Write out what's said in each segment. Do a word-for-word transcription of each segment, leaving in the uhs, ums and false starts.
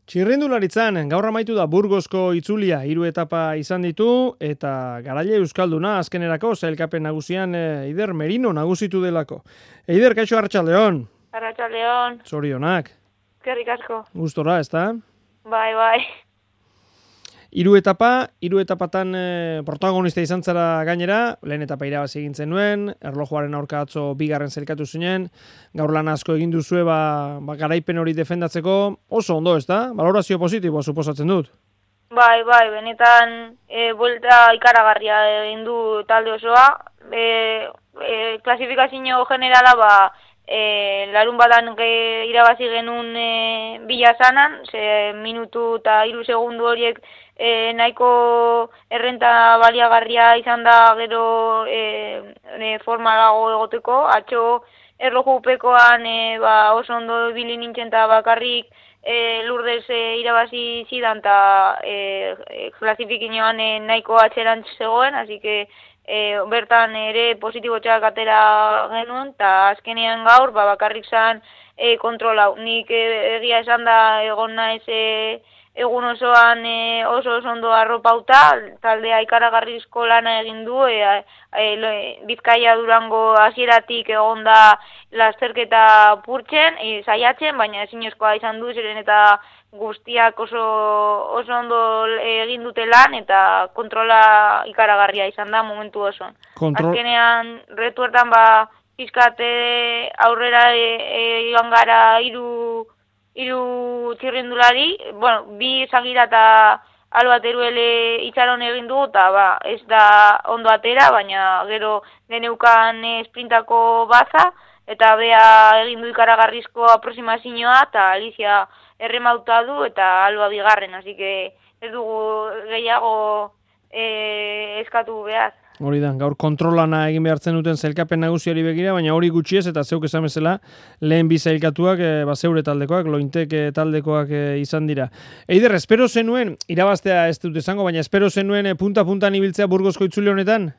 Txirrindularitzan, gaur amaitu da Burgosko itzulia, hiru etapa izan ditu, eta garaile euskalduna azkenerako sailkapen nagusian e, Eider Merino nagusitu delako. Eider, kaixo Arratsaldeon. Arratsaldeon. Zorionak. Eskerrik asko. Gustora, ezta? Bai, bai. Hiru etapa, hiru etapatan e, protagonista izan zara gainera, lehen etapa irabazi egin zenuen, erlojuaren aurka atzo bigarren zelkatu zinen, gaur lan asko egin duzue ba, ba garaipen hori defendatzeko, oso ondo, ezta? Valorazio positiboa suposatzen dut. Bai, bai, benetan e, buelta ikaragarria egin du talde osoa. E, e, klasifikazio generala ba e, larun badan ge, irabazi genuen e, bilazanan, ze minutu eta hiru segundu horiek E, nahiko errenta baliagarria izan da gero e, e, formalago egoteko. Atxo erlojupekoan e, ba, oso ondo ibili nintzen eta bakarrik e, lurdez e, irabazi zidan eta e, e, klasifikinoan e, nahiko atxerantz zegoen, así que e, bertan ere positibotxak atera genuen, eta azkenean gaur ba, bakarrik zan e, kontrolau. Nik e, egia esan da egon naiz e, egun osoan e, oso oso ondo arropauta, taldea ikaragarrizko lana egin du, e, e, Bizkaia Durango hasieratik egon da lasterketa purtzen, e, saiatzen, baina ezinezkoa izan du, ziren eta guztiak oso, oso ondo egin dute lan, eta kontrola ikaragarria izan da momentu osoan. Kontrol... Azkenean, retuertan ba, pizkate aurrera joan e, e, gara hiru hiru txirrindulari, bueno, bi zagira eta Alba Teruele itxaron egin dugu, eta ba, ez da ondo atera, baina gero geneukan esprintako baza, eta bea egin du ikaragarrizko aproximazioa, eta Alicia erremauta du, eta Alba bigarren, así que ez dugu gehiago e, eskatu behar. Hori da, gaur kontrolana egin behartzen duten zailkapen nagusiari begira, baina hori gutxiez eta zeuk esan bezala lehen bi zailkatuak, e, ba, zeure taldekoak, lointek e, taldekoak e, izan dira. Eider, espero zenuen, irabaztea ez dut esango, baina espero zenuen e, punta-puntan ibiltzea Burgosko itzuli honetan?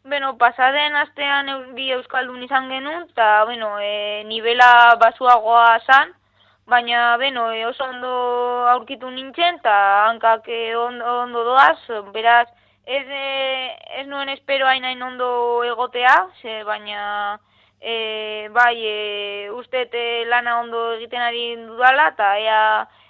Bueno, pasaden astean bi euskaldun izan genuen, eta bueno, e, nivela basuagoa zan, baina bueno, e, oso ondo aurkitu nintzen, eta hankak e, ondo, ondo doaz, beraz, Ez, ez nuen espero hain hain ondo egotea, ze, baina e, bai, e, uste lana ondo egiten ari dudala, eta ea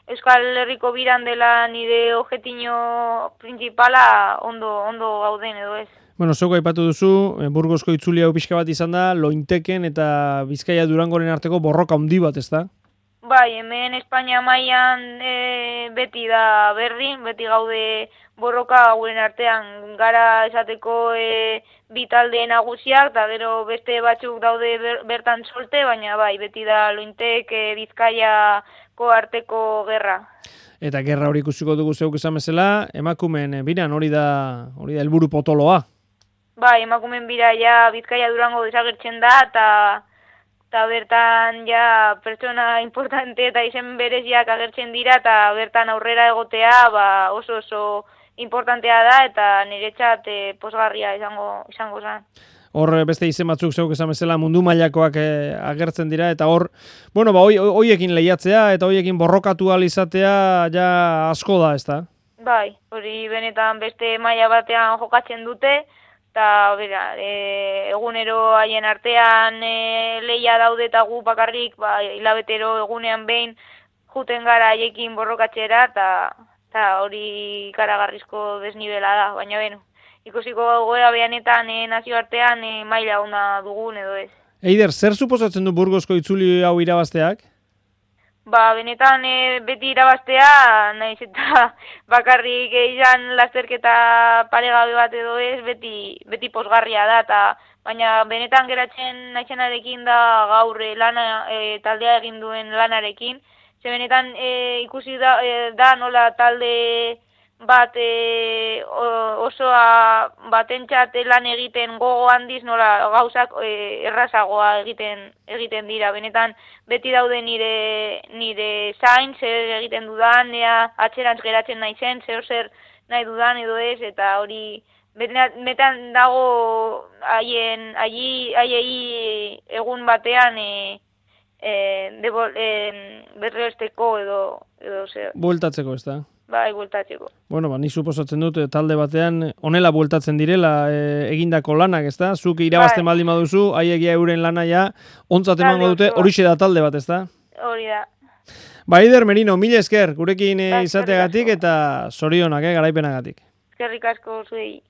Euskal Herriko biran dela nire objetiño principala ondo, ondo gauden edo ez. Bueno, zoko aipatu duzu, Burgosko itzuli hau pixka bat izan da, Lointeken eta Bizkaia Durangoren arteko borroka handi bat, ez da? Bai, hemen Espainia mailan e, beti da berdin, beti gaude borroka hauen artean gara esateko e, bi talde nagusiak, eta gero beste batzuk daude ber, bertan solte, baina bai, beti da Lointek e, Bizkaiako arteko gerra. Eta gerra hori ikusiko dugu zeuk esan bezala, emakumeen biran hori da hori da helburu potoloa. Bai, emakumeen bira ja Bizkaia Durango desagertzen da, eta eta bertan ja pertsona importante eta izen bereziak agertzen dira, eta bertan aurrera egotea ba, oso oso importantea da, eta niretzat e, posgarria izango izango zen. Hor beste izen batzuk zeuk esan bezala mundu mailakoak e, agertzen dira, eta hor, bueno, ba, hoiekin lehiatzea eta hoiekin borrokatu ahal izatea ja asko da, ezta? Bai, hori benetan beste maila batean jokatzen dute, eta bera, e, egunero haien artean e, lehia daude eta gu bakarrik, ba, hilabetero egunean behin juten gara haiekin borrokatzera, eta hori ikaragarrizko desnibela da, baina beno, ikusiko goera behanetan e, nazioartean e, maila ona dugun edo ez. Eider, zer suposatzen du Burgosko itzuli hau irabazteak? Ba, benetan e, beti irabaztea, nahiz eta bakarrik izan lasterketa paregabe bat edo ez, beti, beti posgarria da, eta baina benetan geratzen naizenarekin da gaur e, lana, e, taldea egin duen lanarekin, ze benetan e, ikusi da, e, da nola talde bat e, osoa batentzat lan egiten gogo handiz, nola gauzak e, errazagoa egiten egiten dira. Benetan beti daude nire nire zain, zer egiten dudan, ea atxerantz geratzen naizen, zer zer nahi dudan edo ez, eta hori benetan dago haien haiei egun batean e, e, debol, e, berresteko edo, edo zer. Bueltatzeko, ez da? Bai, bueltatzeko. Bueno, ba, ni suposatzen dut talde batean honela bueltatzen direla e, egindako lanak, ez da? Zuk irabazten bai. baldin baduzu, haiegia euren lana ja, ontzat emango dute, horixe da talde bat, ez da? Hori da. Ba, Eider Merino, mila esker, gurekin Ba, izateagatik eta zorionak, eh, garaipenagatik. Eskerrik asko zuei.